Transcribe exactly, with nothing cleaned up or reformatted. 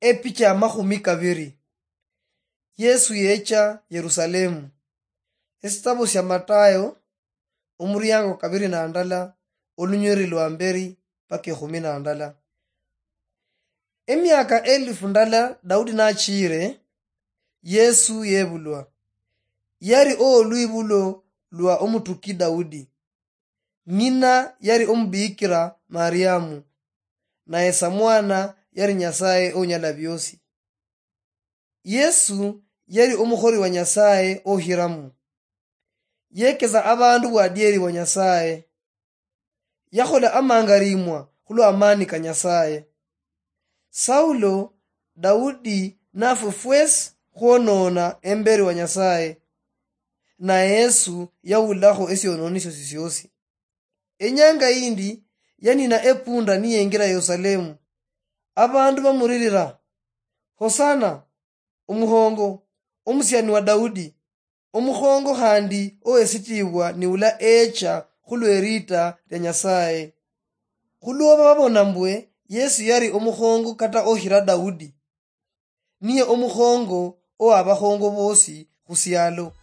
Epicha ya makhumi kabiri. Yesu yecha Yerusalemu. Esitabo sia Matayo, omuriango kabiri na ndala, olunyweri lwa mberi paka ekhumi na ndala. Emiaka elifu ndala Daudi nachire, Yesu yebulwa. Yari owolwibulo lwa omutuki Daudi. Ng'ina yari omubikira Mariamu, naye samwana yari Nyasaye onyala biosi. Yesu yari omukhori wa Nyasaye ohiramu. Yekesa abandu bwadieri bwa Nyasaye. Yakhola amangarimwa khulwa amani ka Nyasaye. Saulo, Daudi nafwe fwesi khwonona emberi wa Nyasaye, na Yesu yawulakho esiononisio sisiosi. Enyanga yindi yanina epunda niyengira Yerusalemu. Abandu bamuririra, "Hosana, omukhongo, omusiani wa Daudi, omukhongo khandi owesitibwa niula echa khulwerita lia Nyasaye." Khulwoba babona mbwe Yesu yari omukhongo kata okhira Daudi, niye omukhongo owabakhongo bosi khusialo.